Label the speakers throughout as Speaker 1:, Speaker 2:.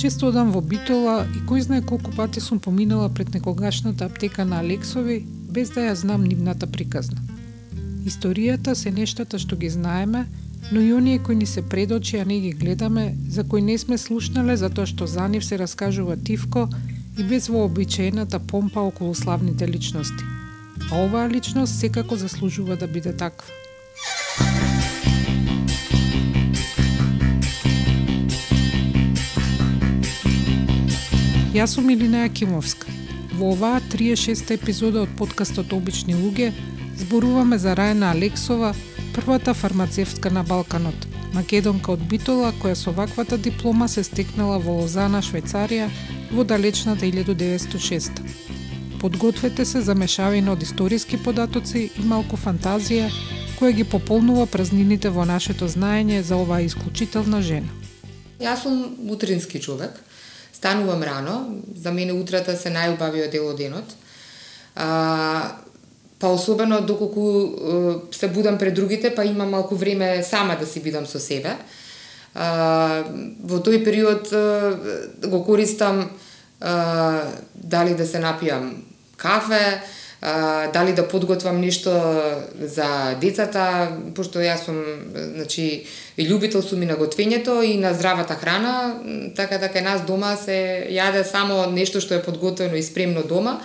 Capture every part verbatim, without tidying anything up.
Speaker 1: Често одам во Битола и кој знае колку пати сум поминала пред некогашната аптека на Алексови, без да ја знам нивната приказна. Историјата се нештата што ги знаеме, но и оние кои ни се пред очи, а не ги гледаме, за кои не сме слушнале затоа што за нив се раскажува тивко и без вообичаената помпа околу славните личности. А оваа личност секако заслужува да биде таква. Јас сум Илина Јакимовска. Во оваа триесет и шеста епизода од подкастот Обични луѓе зборуваме за Рајна Алексова, првата фармацевтка на Балканот, македонка од Битола која со ваквата диплома се стекнала во Лозана, Швајцарија, во далечната илјадум деветстотини и шеста. Подгответе се за мешавина од историски податоци и малку фантазија која ги пополнува празнините во нашето знаење за оваа исклучителна жена.
Speaker 2: Јас сум утрински човек. Станувам рано, за мене утрата се најубавиот дел од денот. А, па особено доколку се будам пред другите, па имам малку време сама да си бидам со себе. А, во тој период а, го користам а, дали да се напијам кафе, а, дали да подготвам нешто за децата, пошто јас сум, значи, и љубител сум и на готвењето и на здравата храна, така да кај нас дома се јаде само нешто што е подготвено и спремно дома.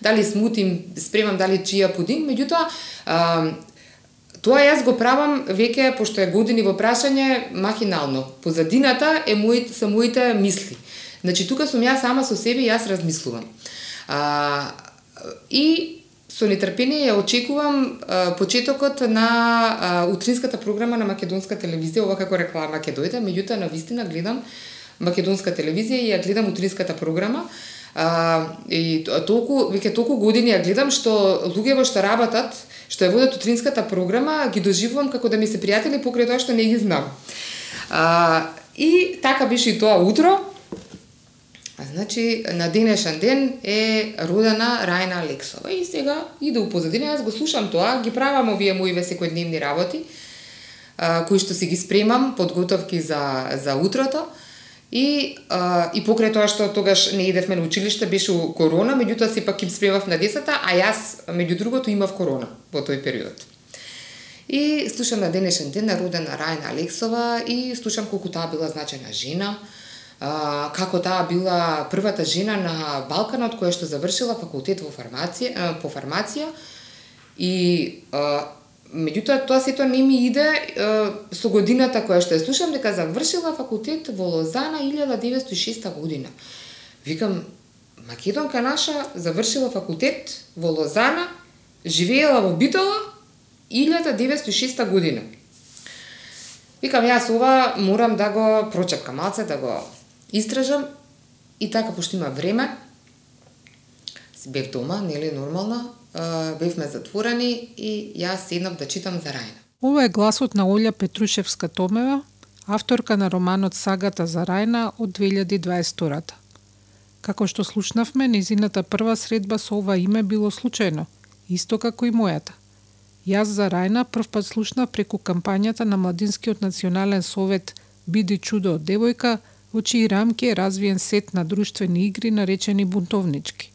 Speaker 2: Дали смути спремам, дали чија пудинг, меѓутоа а, тоа јас го правам веќе, пошто е години во прашање, махинално. Позадината е мој, се моите мисли. Значи, тука сум јас сама со себе и јас размислувам. А, и со нетрпение ја очекувам а, почетокот на а, утринската програма на македонска телевизија, ова како реклама ќе дојде, меѓутоа навистина гледам македонска телевизија и ја гледам утринската програма. А, и толку, веќе толку години ја гледам што луѓето што работат, што ја водат утринската програма, ги доживувам како да ми се пријатели покрај тоа што не ги знам. А, и така беше и тоа утро. А значи, на денешен ден е родена Рајна Алексова. И сега иде у позадина, јас го слушам тоа, ги правам овие мои секојдневни работи, а, кои што си ги спремам, подготовки за, за утрото. И, а, и покрај тоа што тогаш не идевме на училиште, беше корона, меѓутоа сепак им спремав на децата, а јас, меѓу другото, имав корона во тој период. И слушам на денешен ден на родена Рајна Алексова и слушам колку таа била значајна жена, Uh, како таа била првата жена на Балканот која што завршила факултет во фармација, uh, по фармација и uh, меѓутоа тоа сето не ми иде uh, со годината која што ја слушам дека завршила факултет во Лозана илјадум деветстотини и шеста година. Викам, македонка наша завршила факултет во Лозана, живеела во Битола илјадум деветстотини и шеста година. Викам, јас ова морам да го прочепкам малце, да го истражам и така, пошто има време, си бев дома, нели нормално, бевме затворени и јас седнав да читам за Рајна.
Speaker 1: Ова е гласот на Олја Петрушевска-Томева, авторка на романот Сагата за Рајна од две илјади и дваесет втора. Како што слушнавме, незината прва средба со ова име било случајно, исто како и мојата. Јас за Рајна првпат слушнав преку кампањата на Младинскиот национален совет Биди чудо од девојка, во чии рамки е развиен сет на друштвени игри наречени бунтовнички.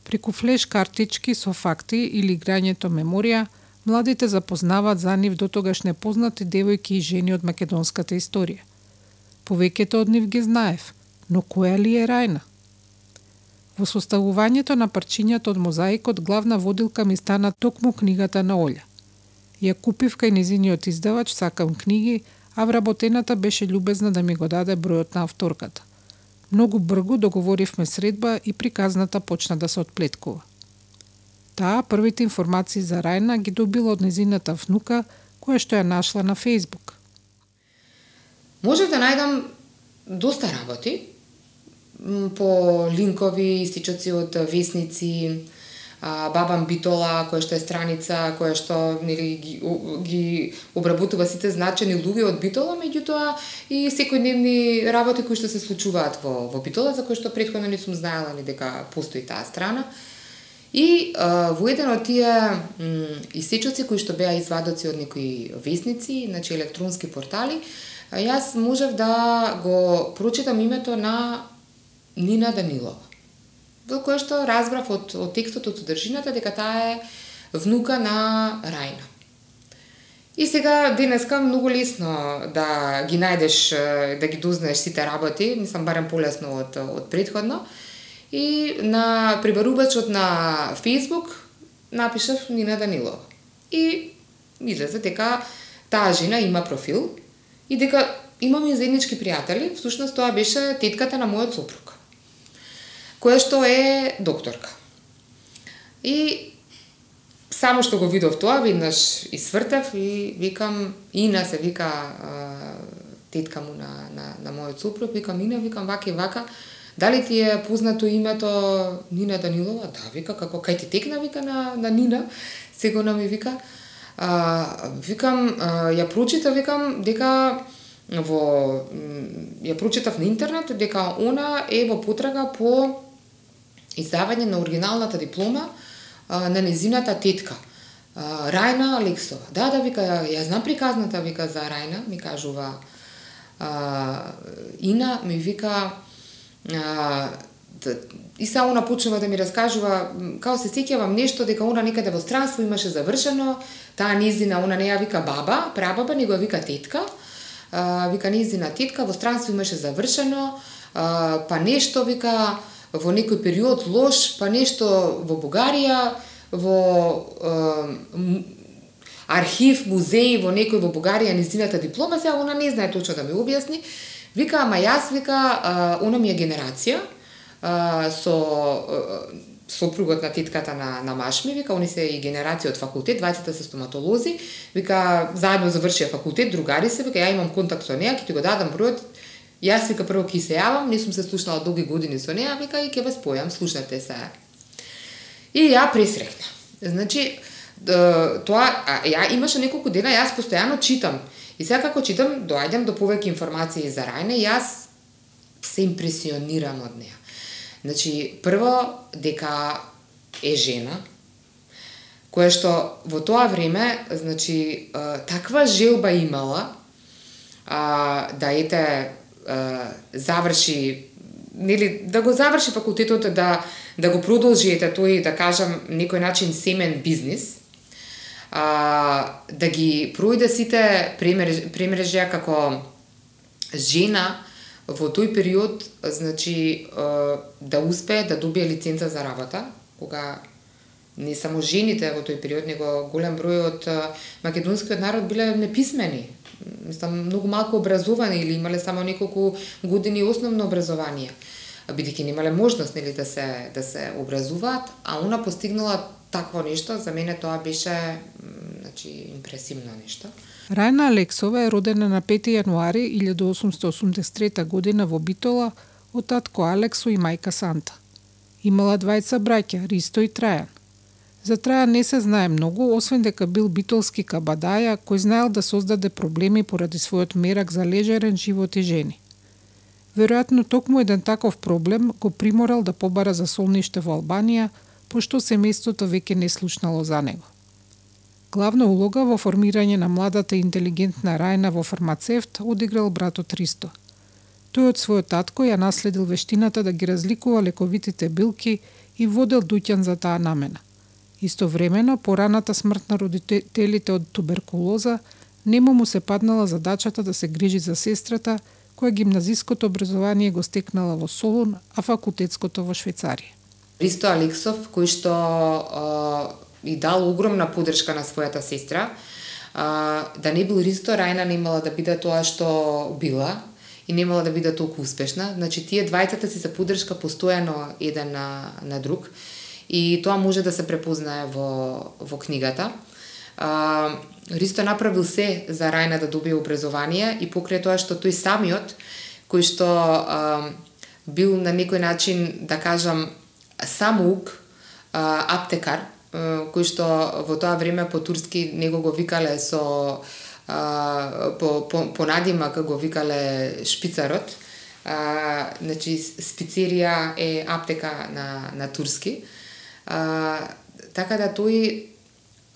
Speaker 1: Преку флеш картички со факти или играњето меморија, младите запознаваат за нив дотогаш непознати девојки и жени од македонската историја. Повеќето од нив ги знаев, но која ли е Рајна? Во составувањето на парчињата од мозаикот главна водилка ми стана токму книгата на Олја. Ја купив кај незиниот издавач Сакам книги, а вработената беше љубезна да ми го даде бројот на авторката. Многу брзо договоривме средба и приказната почна да се отплеткува. Таа првите информации за Рајна ги добила од незината внука, која што ја нашла на Фејсбук.
Speaker 2: Може да најдам доста работи по линкови, истичоци од весници, а, Бабам Битола, која што е страница која што нели ги, ги обработува сите значени луѓе од Битола, меѓутоа и секојдневни работи кои што се случуваат во во Битола, за кои што претходно не сум знаела ни дека постои таа страна. И а, во еден од тие исечоци кои што беа извадоци од некои весници, значи електронски портали, јас можев да го прочитам името на Нина Данилова, во кое што разбрав од, од текстот, од содржината, дека таа е внука на Рајна. И сега денеска многу лесно да ги најдеш, да ги дознаеш сите работи, мислам барем полесно од, од претходно. И на прибарувачот на Facebook напишав Нина Данилова. И излезе дека таа жена има профил и дека имаме заеднички пријатели, всушност тоа беше тетката на мојот сопруг, која што е докторка. И само што го видов тоа, веднаш извртев и викам, Ина се вика тетка му на, на, на мојот сопруг, викам Ина, викам вака и вака, дали ти е познато името Нина Данилова? Да, вика, како кај ти текна, вика на, на Нина, сигурно ми вика. А, викам, а, ја прочитав, викам, дека во ја прочитав на интернет дека она е во потрага по издавање на оригиналната диплома а, на незината тетка а, Рајна Алексова. Да, да, вика, ја, ја знам приказната, вика, за Рајна, ми кажува а, Ина, ми вика а, да, и са она почнува да ми раскажува, као се сеќавам нешто дека она некаде во странство имаше завршено, таа незина, она не ја вика баба, прабаба, него ја вика тетка. Uh, вика незина тетка во странство имаше завршено, uh, па нешто вика во некој период лош, па нешто во Бугарија, во uh, архив, музеј во некој во Бугарија незината диплома, сега она не знае точно да ми објасни. Вика, ама јас вика, uh, она ми е генерација uh, со uh, сопругот на тетката на, на машми, вика, они се и генерација од факултет, двајцата се стоматолози, вика, заедно завршија факултет, другари се, вика, ја имам контакт со неа, ќе ти го дадам бројот, јас, вика, прво ќе се јавам, не сум се слушнала долги години со неа, вика, и ќе ве спојам, слушнете се. И ја пресрекна. Значи, тоа, ја имаше неколку дена, јас постојано читам, и сега како читам, доаѓам до повеќе информации за Рајна, јас се импресионирам од неа. Значи, прво, дека е жена, која што во тоа време, значи, таква желба имала, да ете, заврши, нели, да го заврши факултетот, да, да го продолжи, ете, тој, да кажам, некој начин семен бизнис, да ги пројде сите премрежја како жена, во тој период, значи, да успее да добие лиценца за работа, кога не само жените во тој период, него голем број од македонскиот народ биле неписмени, мислам, многу малку образовани или имале само неколку години основно образование, бидејќи немале можност, нели, да се да се образуваат, а она постигнала такво нешто, за мене тоа беше, значи, импресивно нешто.
Speaker 1: Рајна Алексова е родена на пети јануари илјадум осумстотини осумдесет и трета година во Битола од татко Алексо и мајка Санта. Имала двајца браќа, Ристо и Трајан. За Трајан не се знае многу, освен дека бил битолски кабадаја кој знаел да создаде проблеми поради својот мерак за лежерен живот и жени. Веројатно токму еден таков проблем го приморал да побара за солниште во Албанија, пошто семејството веќе не слушнало за него. Главна улога во формирање на младата и интелигентна Рајна во фармацевт одиграл братот Ристо. Тој од својот татко ја наследил вештината да ги разликува лековитите билки и водел дуќан за таа намена. Истовремено, пораната смрт на родителите од туберкулоза нему му се паднала задачата да се грижи за сестрата, која гимназиското образование го стекнала во Солун, а факултетското во Швајцарија.
Speaker 2: Ристо Алексов, кој што и дал огромна поддршка на својата сестра. А, да не бил Ристо, Рајна немала да биде тоа што била и немала да биде толку успешна. Значи, тие двајцата си се поддршка постојано еден на, на друг и тоа може да се препознае во, во книгата. А, Ристо направил се за Рајна да добие образование и покрај тоа што тој самиот, кој што а, бил на некој начин, да кажам, самоук, аптекар, кој што во тоа време по турски него го викале со а, по, по, по надимак го викале шпицарот. А, значи спицерија е аптека на, на турски. А, така да тој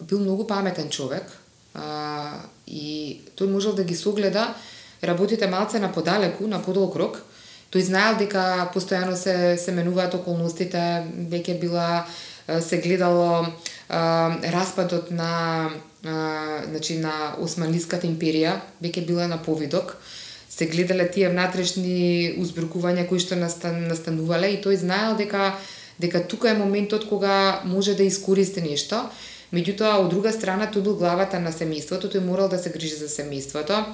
Speaker 2: бил многу паметен човек а, и тој можел да ги согледа работите малце на подалеку, на подолг рок. Тој знаел дека постојано се, се менуваат околностите, веќе била се гледало а, распадот на а, значи на Османлиската империја, веќе била на повидок. Се гледале тие внатрешни узбркувања кои што настан, настанувале и тој знаел дека дека тука е моментот кога може да искористи нешто. Меѓутоа, од друга страна, тој бил главата на семејството, тој морал да се грижи за семејството.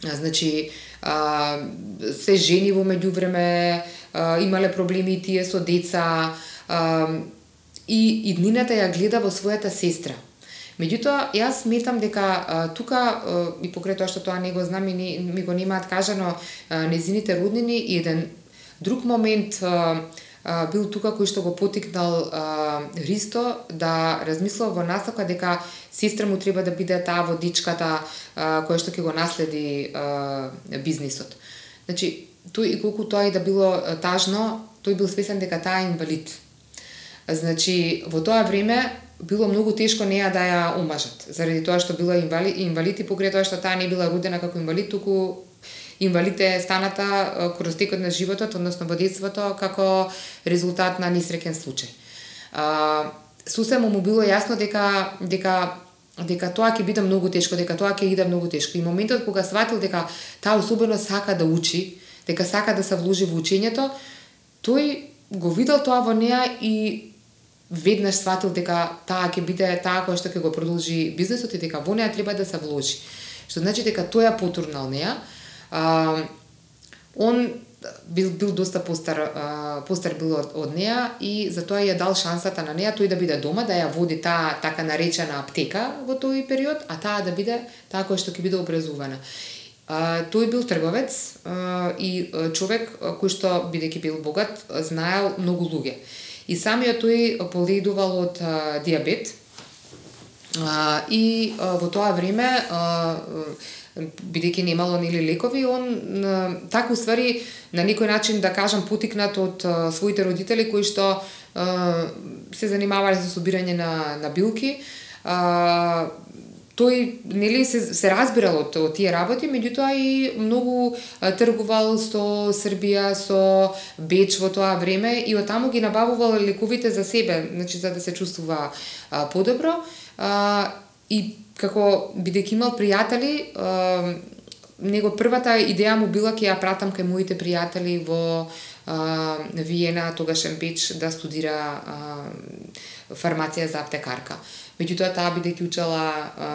Speaker 2: Значи, а, се жени во меѓувреме, а, имале проблеми и тие со деца, а, и иднината ја гледа во својата сестра. Меѓутоа, јас сметам дека а, тука, а, и покрај тоа што тоа не го знам и не, ми го немаат кажано а, незините роднини, и еден друг момент а, а, бил тука кој што го потикнал а, Христо да размислува во насока дека сестра му треба да биде таа водичката а, која што ќе го наследи а, бизнисот. Значи, тој и колку тоа и да било тажно, тој бил свесен дека таа е инвалид. Значи, во тоа време било многу тешко неа да ја омажат, заради тоа што била инвалид, инвалид и покрај тоа што таа не била родена како инвалид, туку инвалид е станата кроз текот на животот, односно во детството, како резултат на несреќен случај. А, сусема му било јасно дека дека дека тоа ќе биде многу тешко, дека тоа ќе иде многу тешко. И моментот кога сватил дека таа особено сака да учи, дека сака да се вложи во учењето, тој го видел тоа во неа и веднаш сватил дека таа ќе биде таа која што ќе го продолжи бизнисот и дека во неа треба да се вложи. Што значи дека тој ја потурнал неа. А, он бил бил доста постар а, постар бил од, од неа и затоа ја дал шансата на неа тој да биде дома, да ја води таа така наречена аптека во тој период, а таа да биде таа која што ќе биде образувана. А, тој бил трговец а, и човек кој што бидејќи бил богат знаел многу луѓе. И самиот тој боледувал од а, диабет а, и а, во тоа време а, бидејќи немало нели лекови, он а, така уствари на некој начин да кажам потикнат од а, своите родители кои што а, се занимавале со собирање на на билки. А, тој нели се, се разбирал од, од тие работи, меѓутоа и многу а, тргувал со Србија, со Беч во тоа време и оттаму ги набавувал лековите за себе, значи за да се чувствува а, подобро. А, и како бидејќи имал пријатели, а, него првата идеја му била ќе ја пратам кај моите пријатели во а, Виена, тогашен Беч, да студира а, фармација за аптекарка. Меѓутоа таа бидејќи учела а,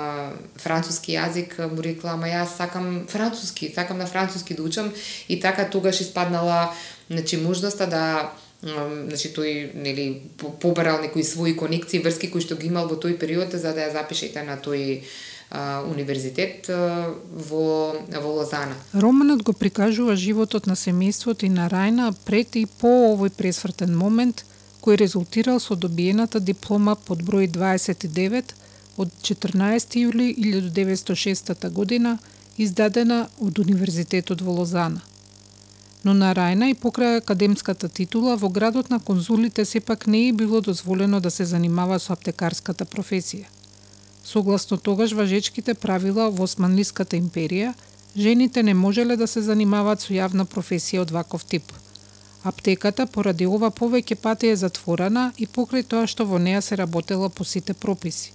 Speaker 2: француски јазик, му рекла, ама јас сакам француски, сакам на француски да учам, и така тогаш испаднала, значи, можноста да, значи, тој нели побарал некои своји конекции, врски кои што ги имал во тој период за да ја запишете на тој а, универзитет а, во во Лозана.
Speaker 1: Романот го прикажува животот на семејството и на Рајна пред и по овој пресвртен момент, кој резултирал со добиената диплома под број дваесет и девет од четрнаесети јули илјадум деветстотини и шеста година, издадена од Универзитетот во Лозана. Но на Рајна и покрај академската титула во градот на конзулите сепак не е било дозволено да се занимава со аптекарската професија. Согласно тогаш важечките правила во Османлиската империја, жените не можеле да се занимаваат со јавна професија од ваков тип. Аптеката поради ова повеќе пати е затворена и покрај тоа што во неа се работела по сите прописи.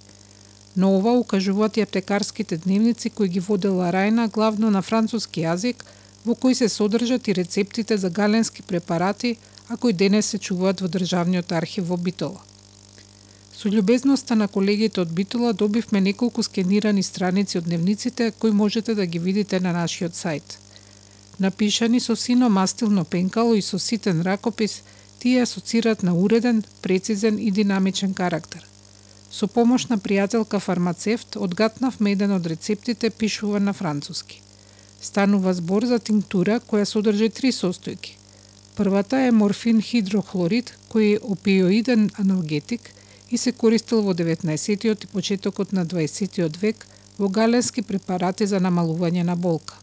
Speaker 1: Но ова укажуваат и аптекарските дневници кои ги водела Рајна главно на француски јазик, во кои се содржат и рецептите за галенски препарати, а кои денес се чуваат во Државниот архив во Битола. Со љубезноста на колегите од Битола добивме неколку скенирани страници од дневниците кои можете да ги видите на нашиот сајт. Напишани со сино мастилно пенкало и со ситен ракопис, тие асоцираат на уреден, прецизен и динамичен карактер. Со помош на пријателка фармацевт, одгатнавме еден од рецептите пишува на француски. Станува збор за тинктура која содржи три состојки: Првата е морфин хидрохлорид, кој е опиоиден аналгетик и се користел во деветнаесеттиот и почетокот на дваесеттиот век во галенски препарати за намалување на болка.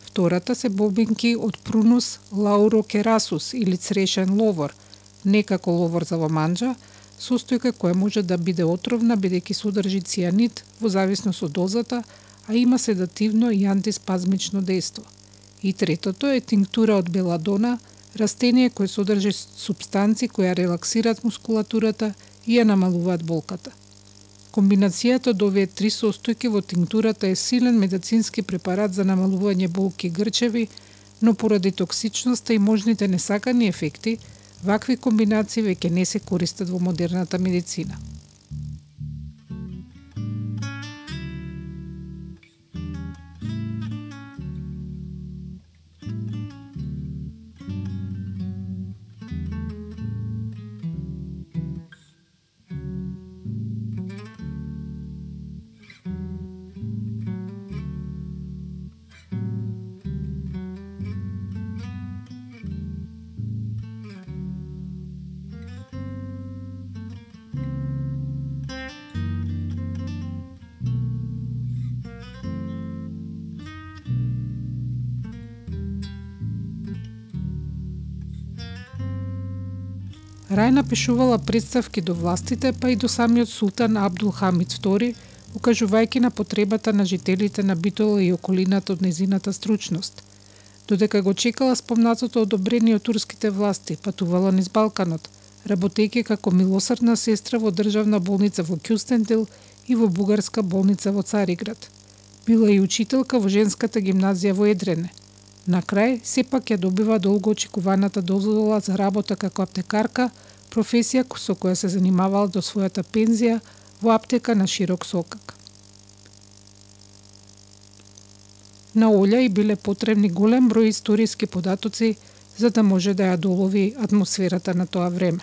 Speaker 1: Втората се бобинки од Prunus laurocerasus или црешен ловор, не како ловор за ломанџа, состојка која може да биде отровна бидејќи содржи цијанид во зависност од дозата, а има седативно и антиспазмично дејство. И третото е тинктура од беладона, растение кое содржи супстанци која релаксираат мускулатурата и ја намалуваат болката. Комбинацијата од овие три состојки во тинктурата е силен медицински препарат за намалување болки и грчеви, но поради токсичноста и можните несакани ефекти, вакви комбинации веќе не се користат во модерната медицина. Рајна пишувала представки до властите, па и до самиот султан Абдул Хамид втори, укажувајќи на потребата на жителите на Битола и околината од незината стручност. Додека го чекала спомнатото одобрение од турските власти, патувала низ Балканот, работејќи како милосрдна сестра во државна болница во Кюстендил и во бугарска болница во Цариград. Била и учителка во женската гимназија во Едрене. На крај, сепак ја добива долго очекуваната дозвола за работа како аптекарка, професија со која се занимавала до својата пензија во аптека на Широк Сокак. На Олја и биле потребни голем број историски податоци за да може да ја долови атмосферата на тоа време.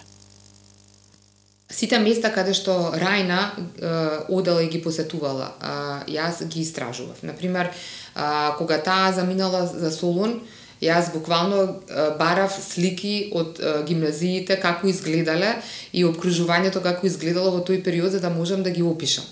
Speaker 2: Сите места каде што Рајна е, одела и ги посетувала, а, јас ги истражував. Например, а, кога таа заминала за Солун, јас буквално а, барав слики од а, гимназиите како изгледале и обкружувањето како изгледало во тој период за да можам да ги опишам.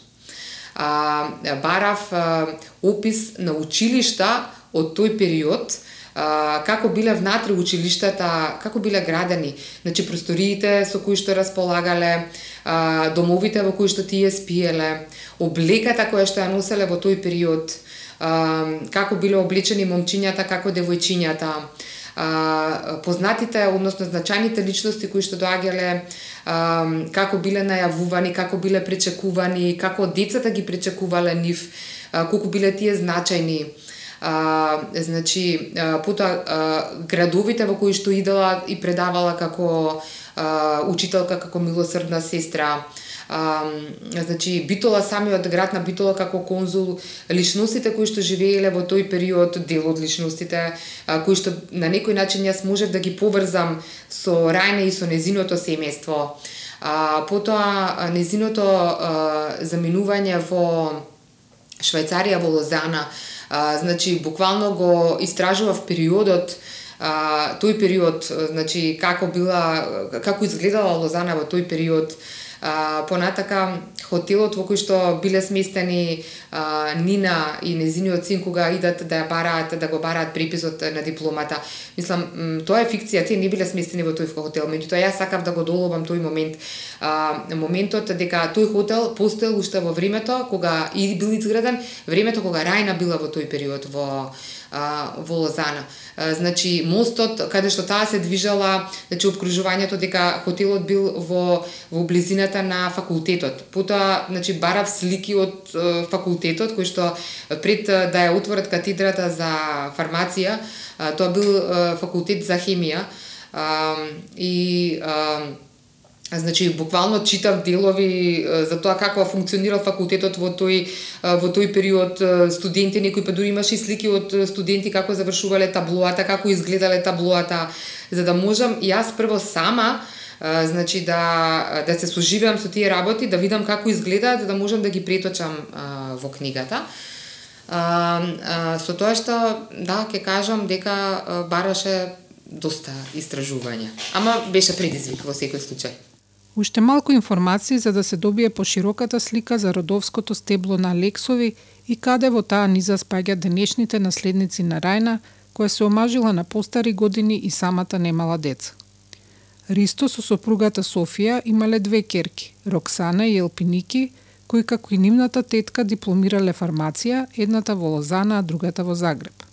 Speaker 2: А, барав а, опис на училишта од тој период, Uh, како биле внатре училиштата, како биле градени, значи просториите со кои што располагале, uh, домовите во кои што тие спиеле, облеката која што ја носеле во тој период, uh, како биле облечени момчињата, како девојчињата, uh, познатите, односно значајните личности кои што доаѓале, uh, како биле најавувани, како биле пречекувани, како децата ги пречекувале нив, uh, колку биле тие значајни. А, значи, а, потоа а, градовите во кои што идела и предавала како а, учителка, како милосрдна сестра. А, значи, Битола, самиот град на Битола како конзул, личностите кои што живееле во тој период, дел од личностите, а, кои што на некој начин јас можев да ги поврзам со Рајна и со незиното семејство. А, потоа, незиното а, заминување во Швајцарија, во Лозана. А, значи, буквално го истражував периодот, а, тој период, значи, како била, како изгледала Лозана во тој период, а, понатака хотелот во кој што биле сместени а, Нина и незиниот син кога идат да ја бараат, да го бараат преписот на дипломата. Мислам, тоа е фикција, тие не биле сместени во тој хотел, меѓутоа јас сакав да го доловам тој момент. А, моментот дека тој хотел постоел уште во времето кога и бил изграден, времето кога Рајна била во тој период во а, во Лозана. А, значи мостот каде што таа се движала, значи обкружувањето дека хотелот бил во во близината на факултетот. Потоа, значи барав слики од е, факултетот кој што пред да ја отворат катедрата за фармација, а, тоа бил е, факултет за хемија а, и а, значи буквално читав делови за тоа како функционирал факултетот во тој во тој период, студенти, некои па дури имаше слики од студенти како завршувале таблоата, како изгледале таблоата, за да можам јас прво сама значи да да се соживеам со тие работи, да видам како изгледаат, за да можам да ги преточам а, во книгата. А, а, со тоа што да ќе кажам дека бараше доста истражувања. Ама беше предизвик во секој случај.
Speaker 1: Уште малку информации за да се добие пошироката слика за родовското стебло на Алексови и каде во таа низа спаѓа денешните наследници на Рајна, која се омажила на постари години и самата немала деца. Ристо со сопругата Софија имале две ќерки, Роксана и Елпиники, кои како и нивната тетка дипломирале фармација, едната во Лозана, а другата во Загреб.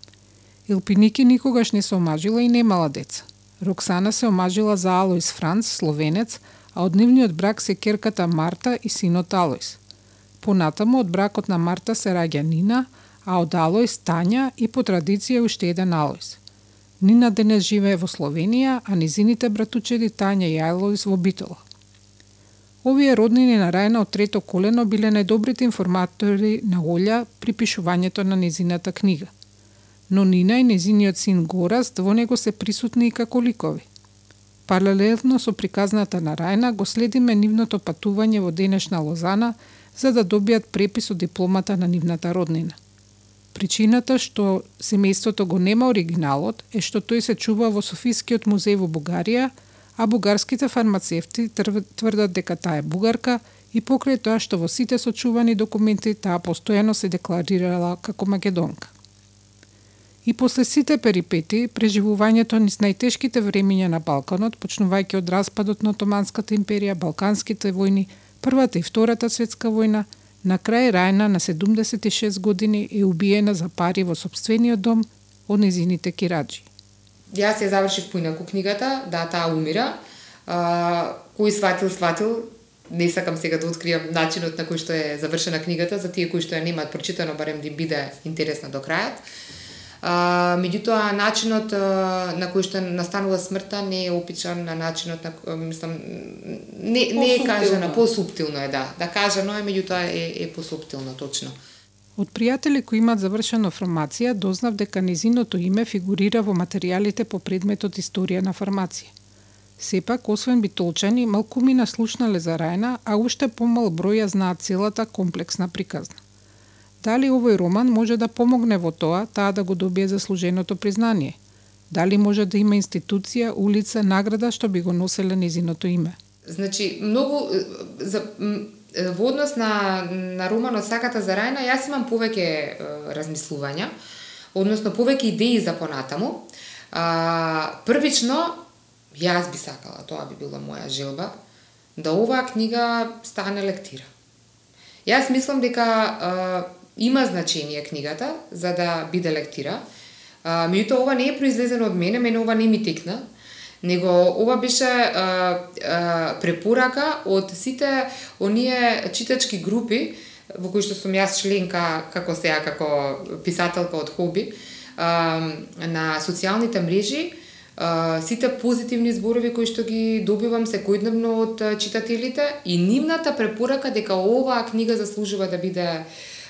Speaker 1: Елпиники никогаш не се омажила и немала деца. Роксана се омажила за Алоис Франц, словенец, а од нивниот брак се ќерката Марта и синот Алоис. Понатаму од бракот на Марта се раѓа Нина, а од Алоис Тања и по традиција уште еден Алоис. Нина денес живее во Словенија, а низините братучеди Тања и Алоис во Битола. Овие роднини на Рајна од трето колено биле најдобрите информатори на Олја при пишувањето на низината книга. Но Нина и низиниот син Гораст во него се присутни и како ликови. Паралелно со приказната на Рајна го следиме нивното патување во денешна Лозана за да добијат препис од дипломата на нивната роднина. Причината што семејството го нема оригиналот е што тој се чува во Софискиот музеј во Бугарија, а бугарските фармацевти тврдат дека таа е бугарка и покрај тоа што во сите сочувани документи таа постојано се декларирала како македонка. И после сите перипети, преживувањето низ најтешките времиња на Балканот, почнувајќи од распадот на Отоманската империја, Балканските војни, Првата и Втората светска војна, на крај Рајна на седумдесет и шест години е убиена за пари во сопствениот дом од незините кираџи.
Speaker 2: Јас ја завршив поинаку книгата, да, таа умира. А, кој сватил, сватил. Не сакам сега да откријам начинот на кој што е завршена книгата, за тие кои што ја немаат прочитано, барем да им биде интересна до крајот. А, меѓутоа, начинот а, на кој што настанува смртта не е опишан на начинот на, мислам, не, не е кажано, посуптилно е, да. Да кажано е, меѓутоа е, е посуптилно, точно.
Speaker 1: Од пријатели кои имаат завршена фармација, дознав дека незиното име фигурира во материјалите по предметот Историја на фармација. Сепак, освен битолчани, малкумина слушнале за Рајна, а уште помал број ја знаат целата комплексна приказна. Дали овој роман може да помогне во тоа, таа да го добие заслуженото признание? Дали може да има институција, улица, награда што би го носеле незиното име?
Speaker 2: Значи, многу за во однос на на романот Сагата за Рајна, јас имам повеќе е, размислувања, односно повеќе идеи за понатаму. А, првично, јас би сакала, тоа би била моја желба, да оваа книга стане лектира. Јас мислам дека а, има значение книгата за да биде лектира. А, меѓутоа ова не е произлезено од мене, мене ова не ми текна, него ова беше а, а, препорака од сите оние читачки групи во кои што сум јас членка како сега како писателка од хоби а, на социјалните мрежи, а, сите позитивни зборови кои што ги добивам секојдневно од читателите и нивната препорака дека оваа книга заслужува да биде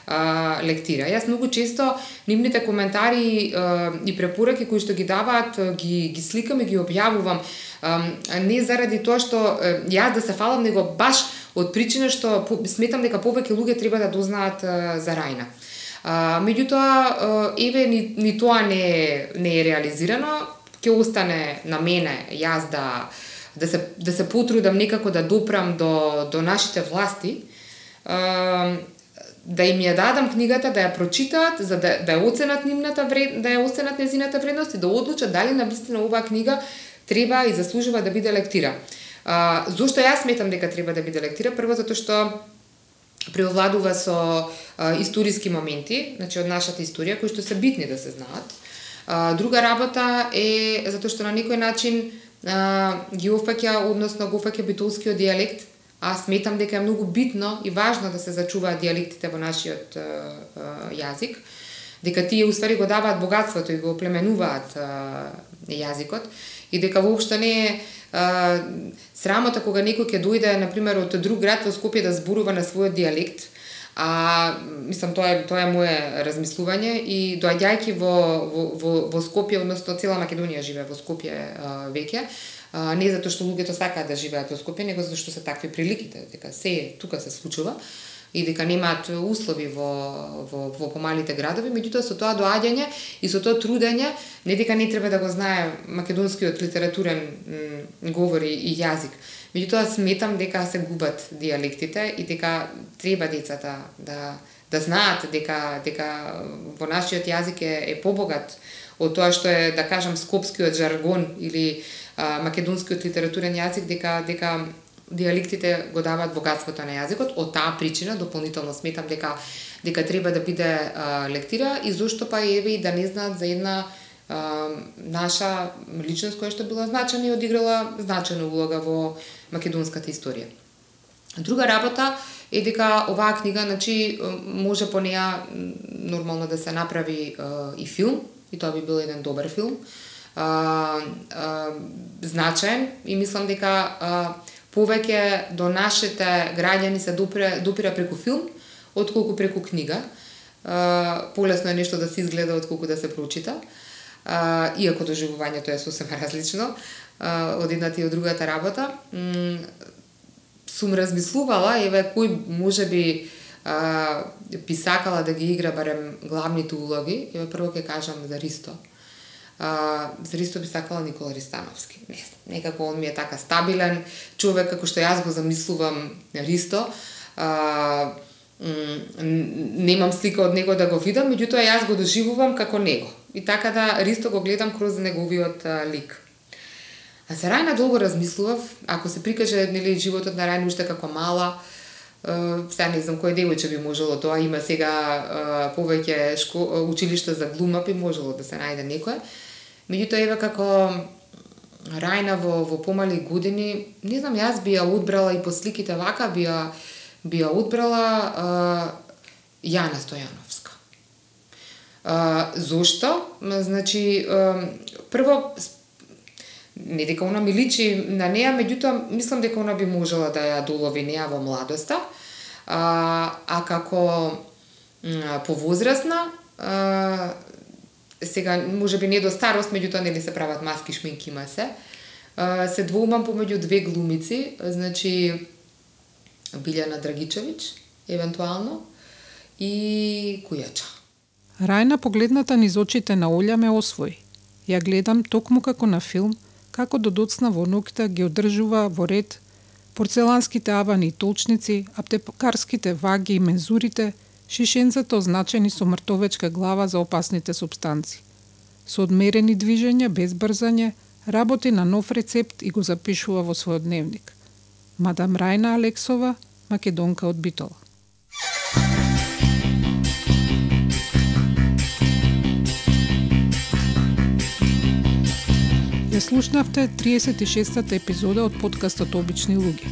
Speaker 2: а, лектира. Јас многу често нивните коментари а, и препораки кои што ги даваат, ги, ги сликам и ги објавувам. А, не заради тоа што а, јас да се фалам, него баш од причина што по, сметам дека повеќе луѓе треба да дознаат а, за Рајна. А, меѓутоа, еве, ни, ни тоа не, не е реализирано, ќе остане на мене јас да, да, се, да се потрудам некако да допрам до, до нашите власти, а, да им ја дадам книгата, да ја прочитаат, за да, да ја оценат нивната вред, да ја оценат незината вредност и да одлучат дали навистина оваа книга треба и заслужува да биде лектира. А, зошто јас сметам дека треба да биде лектира? Прво затоа што преовладува со а, историски моменти, значи од нашата историја, кои што се битни да се знаат. А, друга работа е затоа што на некој начин а, ги офаќа, односно го офаќа битолскиот дијалект. Аз сметам дека е многу битно и важно да се зачуваат дијалектите во нашиот а, а, јазик, дека тие уствари го даваат богатството и го оплеменуваат а, јазикот и дека воопшто не е а, срамота кога некој ќе дојде на пример од друг град во Скопје да зборува на својот дијалект. А мислам тоа е тоа е мое размислување и доаѓајќи во во во, во Скопје, односно цела Македонија живее во Скопје а, веќе. А, не затоа што луѓето сакаат да живеат во Скопје, него затоа што се такви приликите, дека се тука се случува. и дека немаат услови во, во, во помалите градови, меѓутоа со тоа доаѓање и со тоа трудење, не дека не треба да го знае македонскиот литературен м, говор и јазик, меѓутоа сметам дека се губат дијалектите и дека треба децата да да знаат дека дека во нашиот јазик е, е побогат од тоа што е, да кажам, скопскиот жаргон или а, македонскиот литературен јазик, дека дека дијалектите го даваат богатството на јазикот. Од таа причина дополнително сметам дека дека треба да биде а, лектира и зошто па еве и да не знаат за една а, наша личност која што била значена и одиграла значена улога во македонската историја. Друга работа е дека оваа книга, значи, може по неа нормално да се направи а, и филм, и тоа би бил еден добар филм, а, а, значаен, и мислам дека а, повеќе до нашите граѓани се допира, допира преку филм, отколку преку книга. А, полесно е нешто да се изгледа отколку да се прочита, а, иако доживувањето е сосема различно а, од едната и од другата работа. М, сум размислувала, еве, кој може би а, би сакала да ги игра барем главните улоги. Еве, прво ќе кажам за Ристо. А, за Ристо би сакала Никола Ристановски. Не знам, некако он ми е така стабилен човек, како што јас го замислувам Ристо. А, немам слика од него да го видам, меѓутоа јас го доживувам како него. И така да Ристо го гледам кроз неговиот а, лик. А за Рајна долго размислував, ако се прикаже, нели, животот на Рајна уште како мала, сега не знам кој девојче би можело тоа, има сега повеќе шко... училишта за глума, би можело да се најде некој. Меѓутоа, еве, како Рајна во, во помали години, не знам, јас би ја одбрала и по сликите вака, би ја, би ја одбрала а, Јана Стојановска. А, зошто? Значи, а, прво, не дека она ми личи на неа, меѓутоа мислам дека она би можела да ја долови неа во младоста, а, а како м, повозрасна, а, сега може би не до старост, меѓутоа нели се прават маски, шминки, има се, а, се двоумам помеѓу две глумици, значи Билјана Драгичевиќ, евентуално, и Кујача.
Speaker 1: Рајна, погледната низ очите на Олја, ме освои. Ја гледам токму како на филм, како до доцна во ноќта ги одржува во ред порцеланските авани и толчници, аптекарските ваги и мензурите, шишенцата означени со мртовечка глава за опасните супстанци. Со одмерени движења, без брзање, работи на нов рецепт и го запишува во својот дневник. Мадам Рајна Алексова, македонка од Битола. Ја слушнавте триесет и шестата епизода од подкастот Обични луѓе.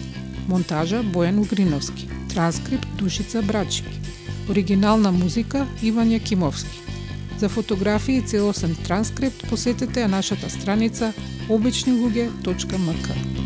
Speaker 1: Монтажа Бојан Угриновски. Транскрипт Душица Брачики. Оригинална музика Иван Јакимовски. За фотографии и целосен транскрипт посетете ја нашата страница обични луѓе точка ем ка.